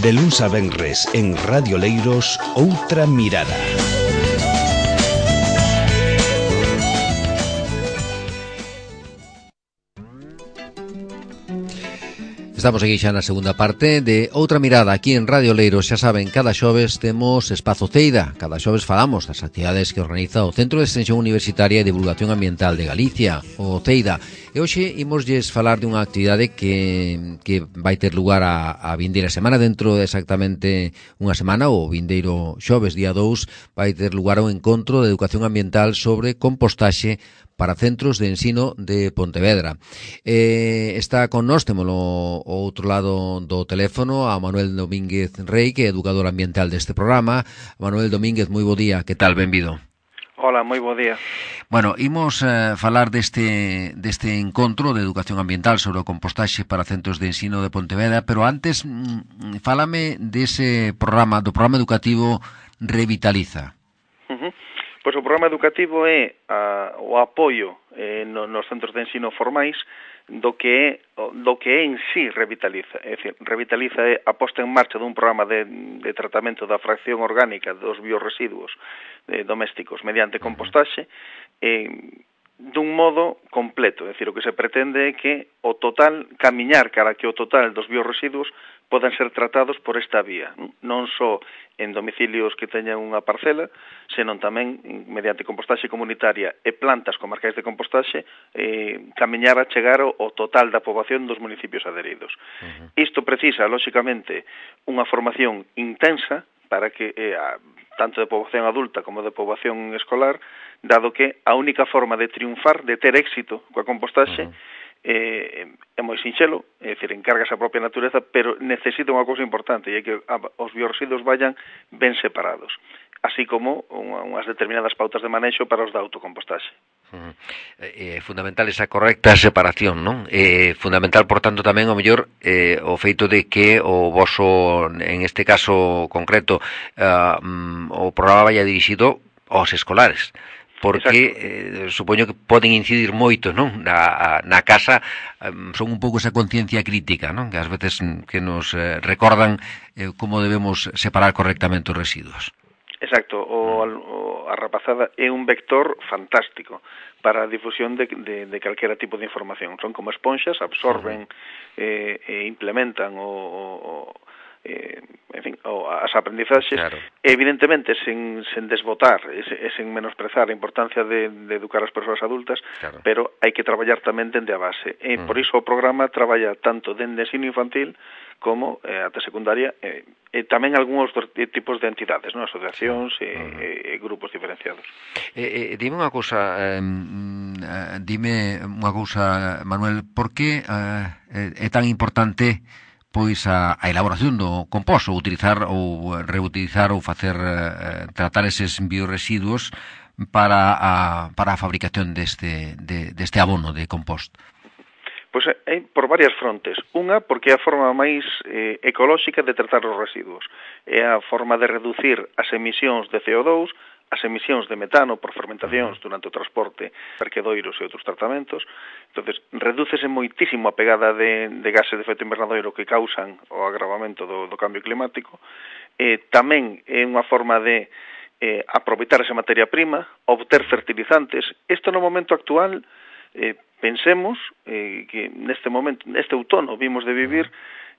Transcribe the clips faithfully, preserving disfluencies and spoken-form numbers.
De luns a venres en Radio Leiros, Outra Mirada. Estamos aquí xa na segunda parte de Outra Mirada aquí en Radio Leiros. Xa saben, cada xoves temos Espazo Ceida. Cada xoves falamos das actividades que organiza o Centro de Extensión Universitaria e Divulgación Ambiental de Galicia, o Ceida. E hoxe imoslles falar dunha actividade que, que vai ter lugar a, a vindeira semana, dentro de exactamente unha semana, o vindeiro xoves, día dous, vai ter lugar un encontro de educación ambiental sobre compostaxe para centros de ensino de Pontevedra. Eh, está con nós, témolo ao outro lado do teléfono, a Manuel Domínguez Rey, que é educador ambiental deste programa. Manuel Domínguez, moi bo día, que tal? Benvido. Hola, moi bo día. Bueno, imos eh, falar deste, deste encontro de educación ambiental sobre o compostaxe para centros de ensino de Pontevedra, pero antes, mm, fálame dese programa, do programa educativo Revitaliza. Uh-huh. Pois o programa educativo é a, o apoio eh, no, nos centros de ensino formais do que é, do que é en sí Revitaliza. É dicir, Revitaliza é a posta en marcha dun programa de, de tratamento da fracción orgánica dos biorresiduos eh, domésticos mediante compostaxe eh, dun modo completo. É dicir, o que se pretende é que o total, camiñar cara que o total dos biorresiduos podan ser tratados por esta vía, non só en domicilios que teñan unha parcela, senón tamén mediante compostaxe comunitaria e plantas comarcais de compostaxe, eh, camiñar a chegar ao total da poboación dos municipios adheridos. Uh-huh. Isto precisa, lóxicamente, unha formación intensa para que, eh, a, tanto de poboación adulta como de poboación escolar, dado que a única forma de triunfar, de ter éxito coa compostaxe, uh-huh. Eh, é moi sinxelo, é dicir, encárgase a propia natureza, pero necesita unha cousa importante, e é que os biorresiduos vayan ben separados, así como unha, unhas determinadas pautas de manexo para os da autocompostaxe. Uh-huh. É fundamental esa correcta separación, non? É fundamental, por tanto, tamén o mellor eh, o feito de que o voso, en este caso concreto, uh, um, o programa vaya dirixido aos escolares, porque eh, supoño que poden incidir moito, non? Na, na casa um, son un pouco esa conciencia crítica, non? Que ás veces que nos eh, recordan eh, como debemos separar correctamente os residuos. Exacto, o, o, a rapazada é un vector fantástico para a difusión de, de, de calquera tipo de información. Son como esponxas, absorben e eh, eh, implementan o, o Eh, en fin, o, as aprendizaxes, claro. Evidentemente sen, sen desbotar e, e sen menosprezar a importancia de, de educar as persoas adultas, claro. Pero hai que traballar tamén dende a base e mm. por iso o programa traballa tanto dende ensino infantil como eh, ata secundaria e eh, eh, tamén algúns tipos de entidades, non? Asociacións e, mm. e, e grupos diferenciados. Eh, eh, dime unha cousa, eh, eh, dime unha cousa, Manuel, por que eh, é tan importante pois a, a elaboración do composto, ou utilizar ou reutilizar ou facer eh, tratar eses biorresiduos para a, para a fabricación deste, de, deste abono de compost? Pois é por varias frontes. Unha, porque é a forma máis eh, ecolóxica de tratar os residuos. É a forma de reducir as emisións de C O dos, as emisións de metano por fermentacións durante o transporte, perquedoiros e outros tratamentos. Entonces, redúcese moitísimo a pegada de, de gases de efecto invernadoiro que causan o agravamento do, do cambio climático. Eh, tamén é unha forma de eh, aproveitar esa materia prima, obter fertilizantes. Isto no momento actual, eh, pensemos eh, que neste momento, neste outono, vimos de vivir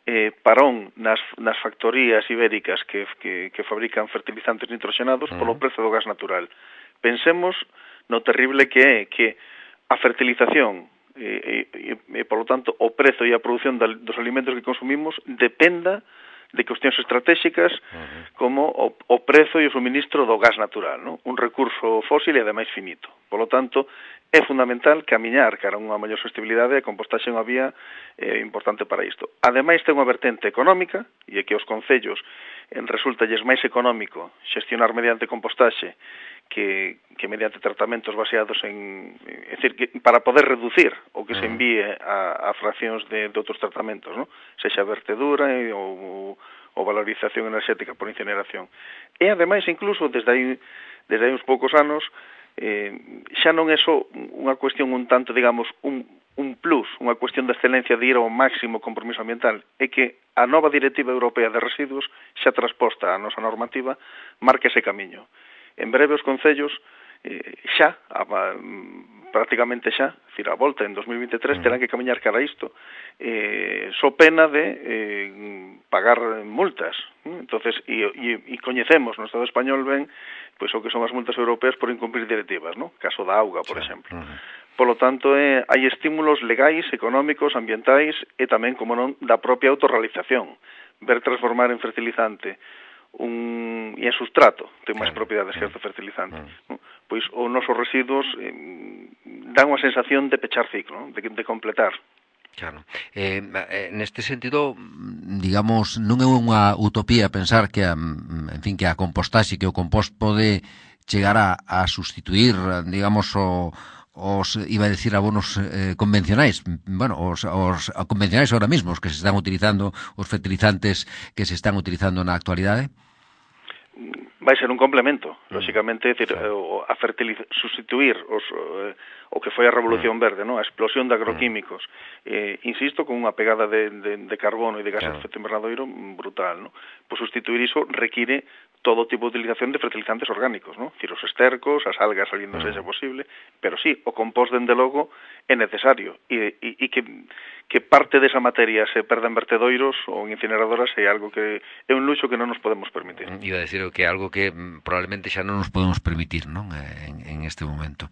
eh, parón nas, nas factorías ibéricas que, que, que fabrican fertilizantes nitroxenados uh-huh. polo prezo do gas natural. Pensemos no terrible que é que a fertilización e, e, e polo tanto, o prezo e a produción dos alimentos que consumimos dependa de cuestións estratégicas uh-huh. como o, o prezo e o suministro do gas natural, non? Un recurso fósil e ademais finito. Polo tanto, é fundamental camiñar cara a unha maior sostenibilidade e a compostaxe é unha vía eh, importante para isto. Ademais, ten unha vertente económica, e é que os concellos en resultalles máis económico xestionar mediante compostaxe que, que mediante tratamentos baseados en... É dicir, que para poder reducir o que se envíe a, a fraccións de, de outros tratamentos, non? Sexa vertedura e, ou, ou valorización enerxética por incineración. E, ademais, incluso, desde aí, desde aí uns poucos anos, eh, xa non é só unha cuestión un tanto, digamos, un, un plus, unha cuestión de excelencia de ir ao máximo compromiso ambiental, é que a nova Directiva Europea de Residuos, xa transposta a nosa normativa, marca ese camiño. En breve os concellos, eh, xa, a, prácticamente xa, decir, a volta en dos mil vinte e tres, terán que camiñar cara a isto, eh, so pena de eh, pagar multas. Entonces, e, e, e coñecemos no Estado español ben pois o que son as multas europeas por incumprir directivas, ¿no? Caso da auga, por sí. exemplo. Uh-huh. Polo tanto, eh, hai estímulos legais, económicos, ambientais e tamén, como non, da propia autorrealización. Ver transformar en fertilizante un, e en sustrato, ten máis claro. propiedades que este fertilizante. Uh-huh. Pois os nosos residuos eh, dan unha sensación de pechar ciclo, de, de completar. Claro. Eh, neste sentido, digamos, non é unha utopía pensar que a, en fin, que a compostaxe, que o compost pode chegar a, a sustituir, digamos, o os, iba a decir, abonos eh, convencionais, bueno, os, os convencionais ahora mismo, os que se están utilizando, os fertilizantes que se están utilizando na actualidade? Vai ser un complemento, mm. lóxicamente, decir, sí. a fertiliz- sustituir os, eh, o que foi a Revolución mm. Verde, ¿no? A explosión de agroquímicos, mm. eh, insisto, con unha pegada de, de, de carbono e de gases de efecto invernadoiro brutal, ¿no? Pois sustituir iso require todo tipo de utilización de fertilizantes orgánicos, ¿no? Decir, os estercos, as algas saliendo mm. sexa posible, pero sí, o compost, dende logo, é necesario, e, e, e que, que parte desa materia se perda en vertedoiros ou en incineradoras é algo que é un luxo que non nos podemos permitir. Iba a decir que é algo que probablemente xa non nos podemos permitir, non? En, en este momento.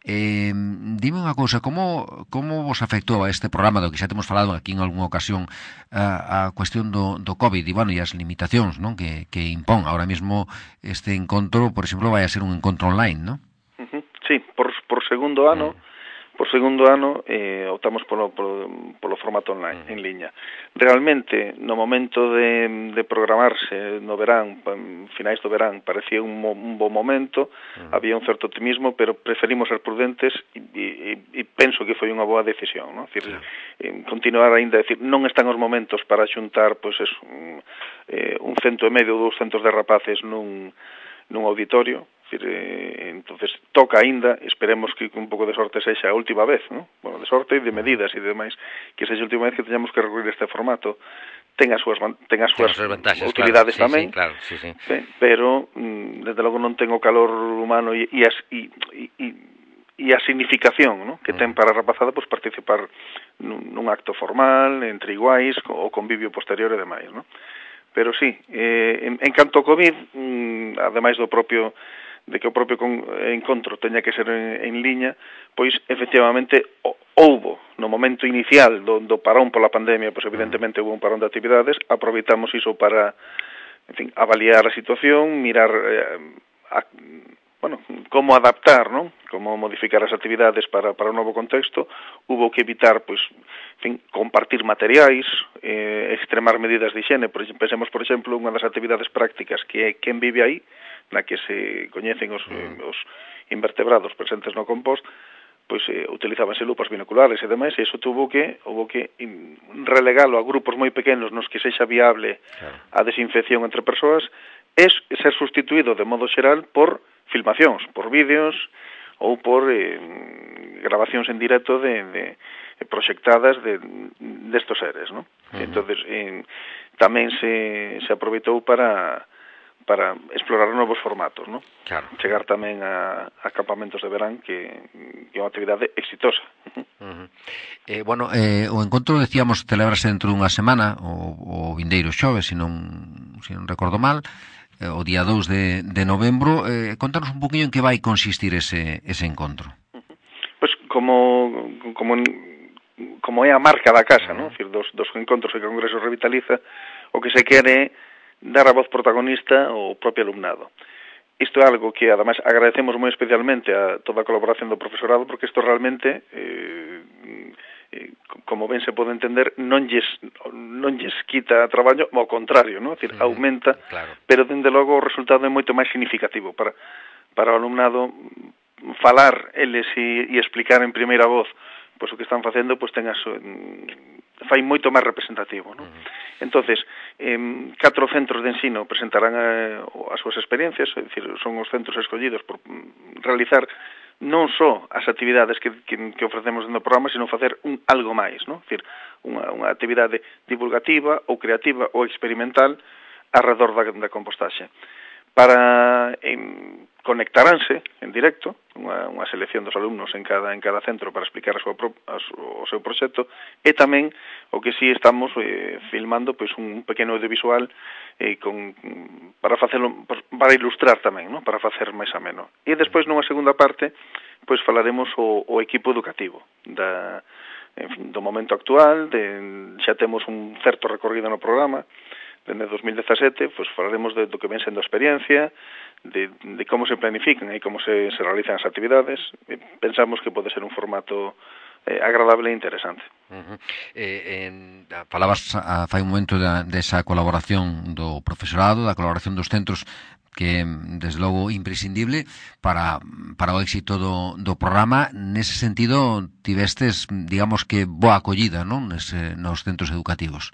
Eh, dime unha cousa, como, como vos afectou a este programa do que xa temos falado aquí en algunha ocasión a, a cuestión do, do COVID e, bueno, e as limitacións, non? Que, que impón ahora mismo este encontro, por exemplo, vai a ser un encontro online, non? Uh-huh. Sí, por, por segundo ano mm. por segundo ano eh, optamos polo, polo, polo formato online, mm. en liña. Realmente, no momento de, de programarse no verán, finais do verán, parecía un, un bo momento, mm. había un certo optimismo, pero preferimos ser prudentes e, e, e penso que foi unha boa decisión, ¿no? Decir, sí. eh, continuar aínda, decir, non están os momentos para xuntar, pois eso, un, eh, un cento e medio ou dous centos de rapaces nun, nun auditorio. Eh, entonces toca aínda, esperemos que un pouco de sorte sexa a última vez, ¿no? Bueno, de sorte e de medidas e demais, que sexa a última vez que teñamos que recurrir a este formato. Ten as súas ten as súas utilidades claro, tamén, sí, sí, claro, sí, sí. Sí, pero mm, desde logo non ten o calor humano e, e, as, e, e, e a significación, ¿no? Que ten para a rapazada pois, participar nun, nun acto formal, entre iguais, o convivio posterior e demais, ¿no? Pero sí, eh, en, en canto ao COVID, mm, ademais do propio de que o propio con, encontro teña que ser en, en liña, pois efectivamente o, houbo no momento inicial do, do parón pola pandemia, pois evidentemente houbo un parón de actividades, aproveitamos iso para, en fin, avaliar a situación, mirar eh, a, bueno, como adaptar, ¿no? Como modificar as actividades para, para o novo contexto. Hubo que evitar, pois, en fin, compartir materiais, eh, extremar medidas de higiene. Por, pensemos, por exemplo, unha das actividades prácticas que é quen vive aí, na que se coñecen os, mm. os invertebrados presentes no compost, pois eh, utilizábanse lupas binoculares e demais, e iso tuvo que, houve que relegalo a grupos moi pequenos nos que sexa viable claro. a desinfección entre persoas, é ser sustituído de modo xeral por filmacións, por vídeos ou por eh, grabacións en directo de, de proxectadas de destos seres, ¿no? Uh-huh. Entonces, eh, tamén se, se aproveitou para para explorar novos formatos, ¿no? Claro. Chegar tamén a, a campamentos de verán que, que é unha actividade exitosa. Uh-huh. Eh, bueno, eh, o encontro, decíamos, celebrase dentro dunha semana, o, o vindeiro xoves, se non, se non recordo mal, eh, o día dous de, de novembro. Eh, contanos un poquinho en que vai consistir ese, ese encontro. Uh-huh. Pois como, como, como é a marca da casa, uh-huh. ¿no? Es decir, dos, dos encontros que o Congreso revitaliza, o que se quere dar a voz protagonista ao propio alumnado. Isto é algo que, además, agradecemos moi especialmente a toda a colaboración do profesorado, porque isto realmente, eh, eh, como ben se pode entender, non lles, non lles quita traballo, ao contrario, ¿no? Es decir, aumenta, claro. Pero, dende logo, o resultado é moito máis significativo para, para o alumnado falar eles e, e explicar en primeira voz pois o que están facendo, pois ten a súa, fai moito máis representativo, ¿no? Uh-huh. Entonces, eh, catro centros de ensino presentarán a, as súas experiencias, é dicir, son os centros escollidos por realizar non só as actividades que, que, que ofrecemos no programa, sino facer un algo máis, non? É dicir, unha, unha actividade divulgativa ou creativa ou experimental alrededor da, da compostaxe. Para en, conectaránse en directo unha, unha selección dos alumnos en cada en cada centro para explicar a súa, a su, o seu proxecto, e tamén o que si sí estamos eh, filmando pois un pequeno audiovisual eh, con, para facelo para ilustrar tamén, ¿no? Para facer máis ameno. E despois nunha segunda parte pois falaremos o, o equipo educativo da en fin, do momento actual, de, xa temos un certo recorrido no programa. Dende dos mil dezasete, pues, falaremos de, do que ven sendo a experiencia, de, de como se planifican e como se, se realizan as actividades. E pensamos que pode ser un formato eh, agradable e interesante. Uh-huh. eh, en, falabas a, fai un momento da, desa colaboración do profesorado, da colaboración dos centros, que, desde logo, imprescindible para, para o éxito do, do programa. Nese sentido, tivestes, digamos que, boa acollida, non? Nese, nos centros educativos.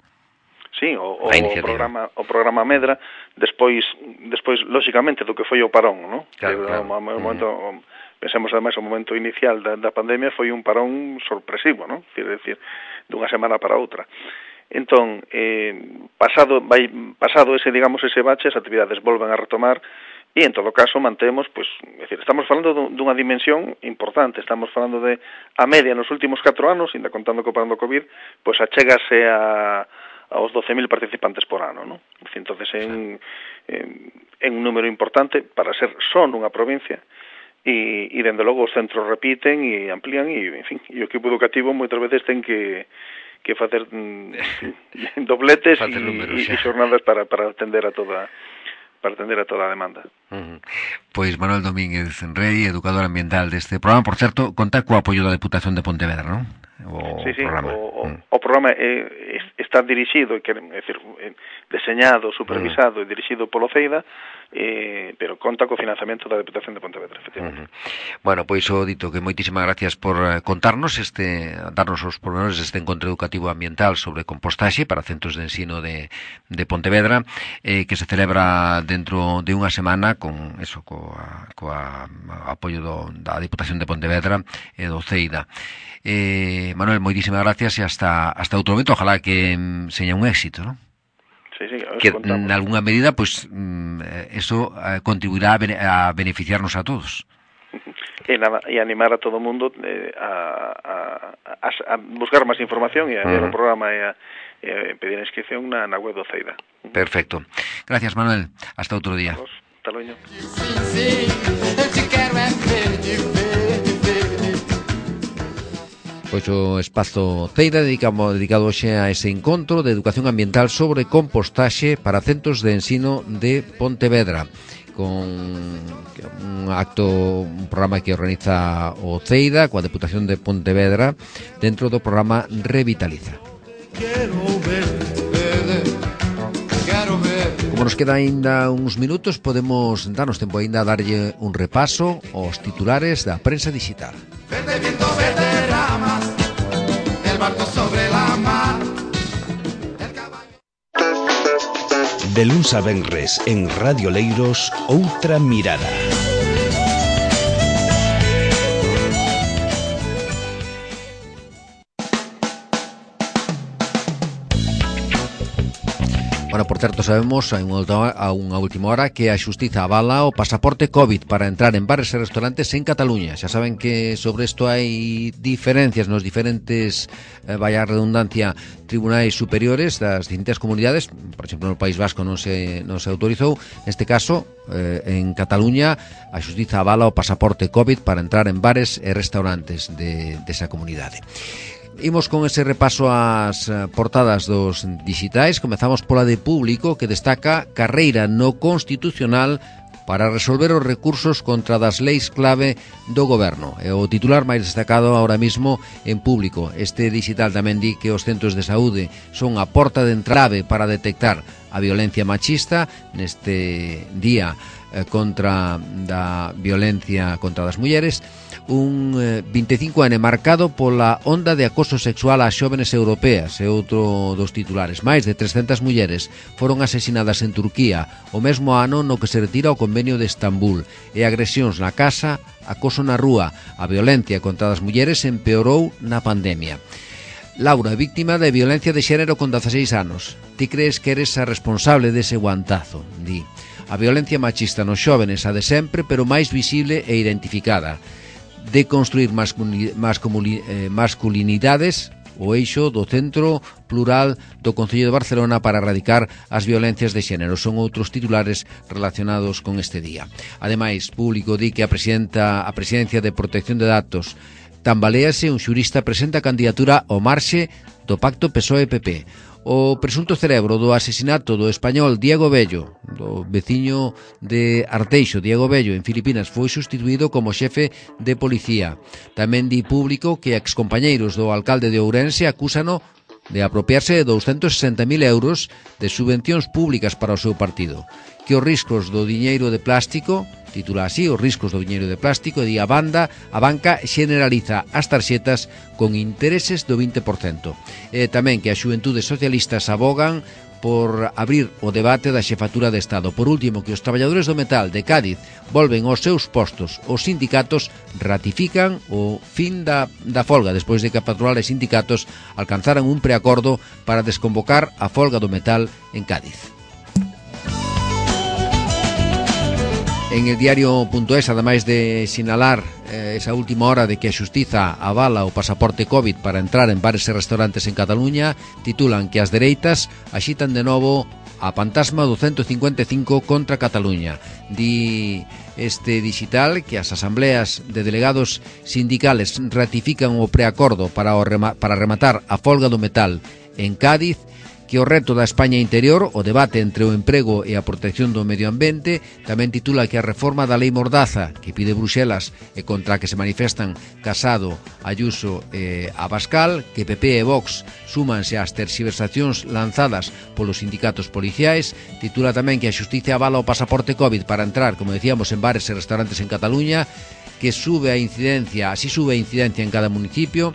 Sí, o, o, o programa o programa Medra, despois despois lógicamente do que foi o parón, ¿no? Claro, que, claro. O, o momento, o, pensemos ademais o momento inicial da, da pandemia foi un parón sorpresivo, ¿no? É dicir, dunha semana para outra. Entón, eh, pasado vai pasado ese, digamos, ese bache, as actividades volven a retomar e en todo caso mantemos, pues, é dicir, estamos falando dunha dimensión importante, estamos falando de a media nos últimos catro anos, ainda contando co parón do COVID, pues achégase a aos doce mil participantes por ano, ¿no? Entonces, en, en, en un número importante para ser só nunha provincia, e, e dende logo os centros repiten e amplían, e, en fin, e o equipo educativo moitas veces ten que que facer mm, dobletes e, e xornadas para, para atender a toda para atender a toda a demanda. Uh-huh. Pois Manuel Domínguez Rei, educador ambiental deste programa, por certo, conta co apoio da Deputación de Pontevedra, non? O sí, sí, programa. O, mm. o programa é, está dirixido, é decir, deseñado, supervisado mm. e dirixido polo CEIDA, eh, pero conta co financiamento da Deputación de Pontevedra, efectivamente. Uh-huh. Bueno, pois o dito que moitísimas gracias por contarnos este, darnos os pormenores deste encontro educativo ambiental sobre compostaxe para centros de ensino de, de Pontevedra, eh, que se celebra dentro de unha semana con eso, coa, coa apoio do, da Deputación de Pontevedra e do CEIDA. Eh, Manuel, moitísimas gracias e hasta hasta outro momento, ojalá que mm, seña un éxito, ¿no? Sí, sí, que en alguna medida pues mm, eso eh, contribuirá a, bene, a beneficiarnos a todos. E, nada, e animar a todo o mundo eh, a, a, a buscar máis información e a ver uh-huh. o programa e a, e a pedir a inscripción na, na web do CEIDA. Perfecto. Gracias, Manuel. Hasta outro día. Hasta luego. Pois o espazo CEIDA dedicamos, dedicado hoxe a ese encontro de educación ambiental sobre compostaxe para centros de ensino de Pontevedra, con un acto, un programa que organiza o CEIDA coa Deputación de Pontevedra dentro do programa Revitaliza. Como nos queda aínda uns minutos, podemos darnos tempo aínda a darlle un repaso aos titulares da prensa digital. Verde viento, verde ramas, el barco sobre la mar. De luns a venres en Radio Leiros, outra mirada. Bueno, por certo, sabemos a unha última hora que a Xustiza avala o pasaporte COVID para entrar en bares e restaurantes en Cataluña. Xa saben que sobre isto hai diferencias nos diferentes, eh, vaya redundancia, tribunais superiores das distintas comunidades. Por exemplo, no País Vasco non se, non se autorizou. Neste caso, eh, en Cataluña, a Xustiza avala o pasaporte COVID para entrar en bares e restaurantes de, desa comunidade. Imos con ese repaso ás portadas dos digitais. Comezamos pola de Público, que destaca carreira no Constitucional para resolver os recursos contra das leis clave do goberno. É o titular máis destacado ahora mismo en Público. Este digital tamén di que os centros de saúde son a porta de entrave para detectar a violencia machista. Neste día eh, contra da violencia contra as mulleres, un eh, vinte e cinco ano marcado pola onda de acoso sexual ás xóvenes europeas, e outro dos titulares. Máis de trescentas mulleres foron asesinadas en Turquía o mesmo ano no que se retira o convenio de Estambul, e agresións na casa, acoso na rúa, a violencia contra as mulleres empeorou na pandemia. Laura, víctima de violencia de xénero con dezaseis anos. Ti crees que eres a responsable dese guantazo? Di. A violencia machista nos xóvenes, a de sempre, pero máis visible e identificada. De construir masculini, masculini, eh, masculinidades, o eixo do Centro Plural do Concello de Barcelona para erradicar as violencias de xénero. Son outros titulares relacionados con este día. Ademais, Público di que a presidenta a Presidencia de Protección de Datos tambalease, un xurista presenta a candidatura ao marxe do Pacto P S O E P P. O presunto cerebro do asesinato do español Diego Bello, do veciño de Arteixo, Diego Bello, en Filipinas, foi sustituído como xefe de policía. Tamén di Público que excompañeiros do alcalde de Ourense acúsano de apropiarse de douscentos sesenta mil euros de subvencións públicas para o seu partido. Que os riscos do diñeiro de plástico, titula así, os riscos do diñeiro de plástico, e di a banda, a banca xeneraliza as tarxetas con intereses do vinte por cento. E tamén que as xuventudes socialistas abogan por abrir o debate da xefatura de Estado. Por último, que os traballadores do metal de Cádiz volven aos seus postos. Os sindicatos ratifican o fin da, da folga despois de que a patronal e sindicatos alcanzaran un preacordo para desconvocar a folga do metal en Cádiz. En el diario.es, ademais de sinalar eh, esa última hora de que a Xustiza avala o pasaporte COVID para entrar en bares e restaurantes en Cataluña, titulan que as dereitas axitan de novo a fantasma do ciento cincuenta e cinco contra Cataluña. Di este digital que as asambleas de delegados sindicales ratifican o preacordo para, o rema, para rematar a folga do metal en Cádiz, que o reto da España interior, o debate entre o emprego e a protección do medio ambiente. Tamén titula que a reforma da lei Mordaza, que pide Bruxelas e contra a que se manifestan Casado, Ayuso e Abascal, que P P e Vox súmanse ás terxiversacións lanzadas polos sindicatos policiais. Titula tamén que a Xustiza avala o pasaporte COVID para entrar, como decíamos, en bares e restaurantes en Cataluña, que sube a incidencia, así sube a incidencia en cada municipio.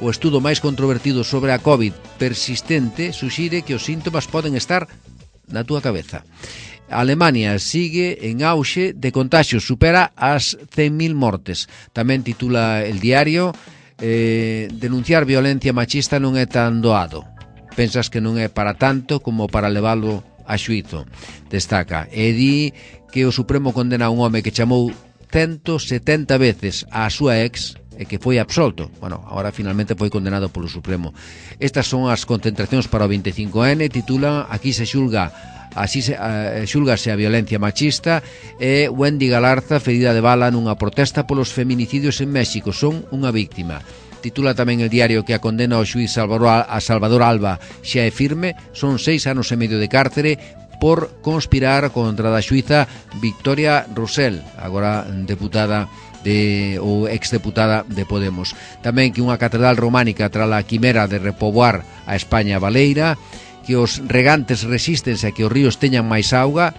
O estudo máis controvertido sobre a COVID persistente suxire que os síntomas poden estar na túa cabeza. A Alemania sigue en auxe de contaxios, supera as cen mil mortes. Tamén titula el diario eh, denunciar violencia machista non é tan doado. Pensas que non é para tanto como para leválo a xuízo. Destaca e di que o Supremo condena a un home que chamou ciento setenta veces a súa ex e que foi absolto. Bueno, agora finalmente foi condenado polo Supremo. Estas son as concentracións para o veinticinco ene, titulan aquí se xulga así se uh, xulgase a violencia machista, e Wendy Galarza ferida de bala nunha protesta polos feminicidios en México, son unha víctima. Titula tamén el diario que a condena ao xuiz Salvador, a Salvador Alba xa é firme, son seis anos e medio de cárcere por conspirar contra da xuiza Victoria Rosell, agora deputada de ou exdeputada de Podemos. Tamén que unha catedral románica tras a quimera de repoboar a España baleira, que os regantes resístense a que os ríos teñan máis auga,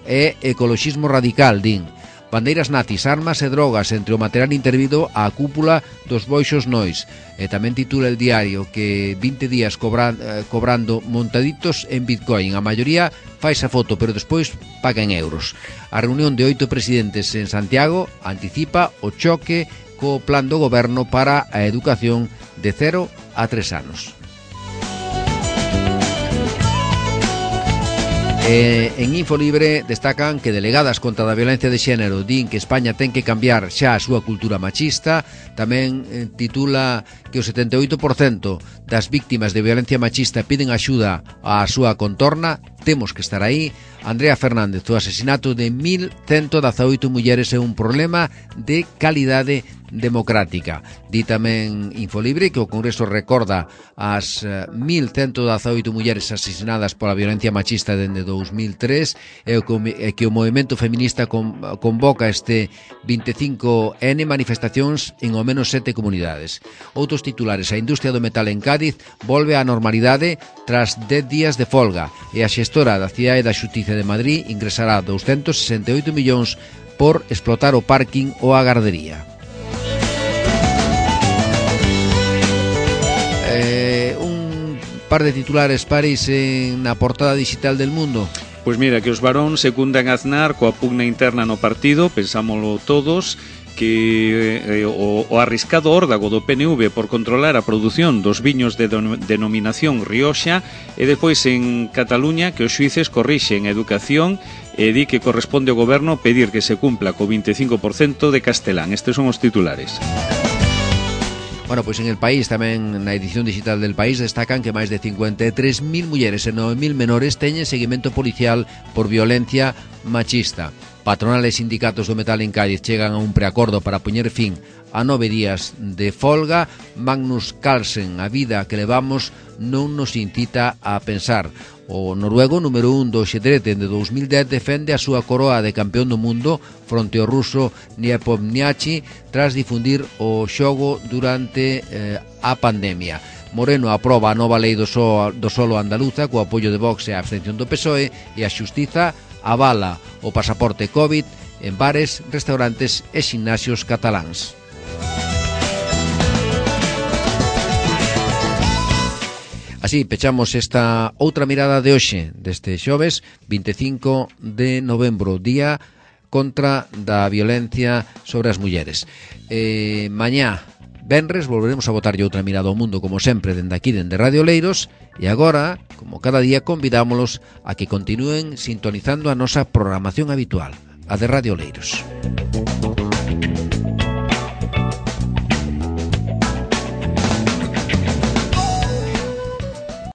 e ecoloxismo radical, din. Bandeiras nazis, armas e drogas entre o material intervido á cúpula dos Boixos Nois. E tamén titula el diario que vinte días cobra, eh, cobrando montaditos en Bitcoin. A maioría fai esa foto, pero despois paga en euros. A reunión de oito presidentes en Santiago anticipa o choque co plan do goberno para a educación de cero a tres anos. Eh, en Infolibre destacan que delegadas contra a violencia de xénero din que España ten que cambiar xa a súa cultura machista. Tamén eh, titula que o setenta e oito por cento das víctimas de violencia machista piden axuda á súa contorna. Temos que estar aí. Andrea Fernández, o asesinato de mil ciento dezaoito mulleres é un problema de calidade democrática. Di tamén Infolibre que o Congreso recorda as mil ciento dezaoito mulleres asesinadas pola violencia machista dende dous mil tres e que o movimento feminista convoca este vinte e cinco ene manifestacións en ao menos sete comunidades. Outros titulares: a industria do metal en Cádiz volve á normalidade tras dez días de folga e a xestora da Cidade da Xustiza de Madrid ingresará doscientos sesenta e oito millóns por explotar o parking ou a gardería. Eh, un par de titulares paris na portada digital del Mundo. Pois mira, que os varóns secundan a Aznar coa pugna interna no partido, pensámolo todos, que eh, o, o arriscado órdago do P N V por controlar a produción dos viños de denominación Rioxa e depois en Cataluña que os xuíces corrixen a educación e di que corresponde ao goberno pedir que se cumpla co vinte e cinco por cento de castelán. Estes son os titulares. Bueno, pois en El País, tamén na edición digital del País, destacan que máis de cincuenta e tres mil mulleres e nove mil menores teñen seguimento policial por violencia machista. Patronal e sindicatos do metal en Cádiz chegan a un preacordo para poñer fin a nove días de folga. Magnus Carlsen: a vida que levamos non nos incita a pensar. O noruego número un do xadrez de dous mil dez defende a súa coroa de campeón do mundo fronte ao ruso Nepomniachtchi tras difundir o xogo durante eh, a pandemia. Moreno aproba a nova lei do, so, do solo andaluza co apoio de Vox e a abstención do P S O E e a Xustiza avala o pasaporte COVID en bares, restaurantes e ximnasios cataláns. Así pechamos esta outra mirada de hoxe, deste xoves vinte e cinco de novembro, día contra da violencia sobre as mulleres. Eh, mañá, venres, volveremos a botarlle outra mirada ao mundo, como sempre, dende aquí, dende Radio Leiros, e agora, como cada día, convidámolos a que continúen sintonizando a nosa programación habitual, a de Radio Leiros.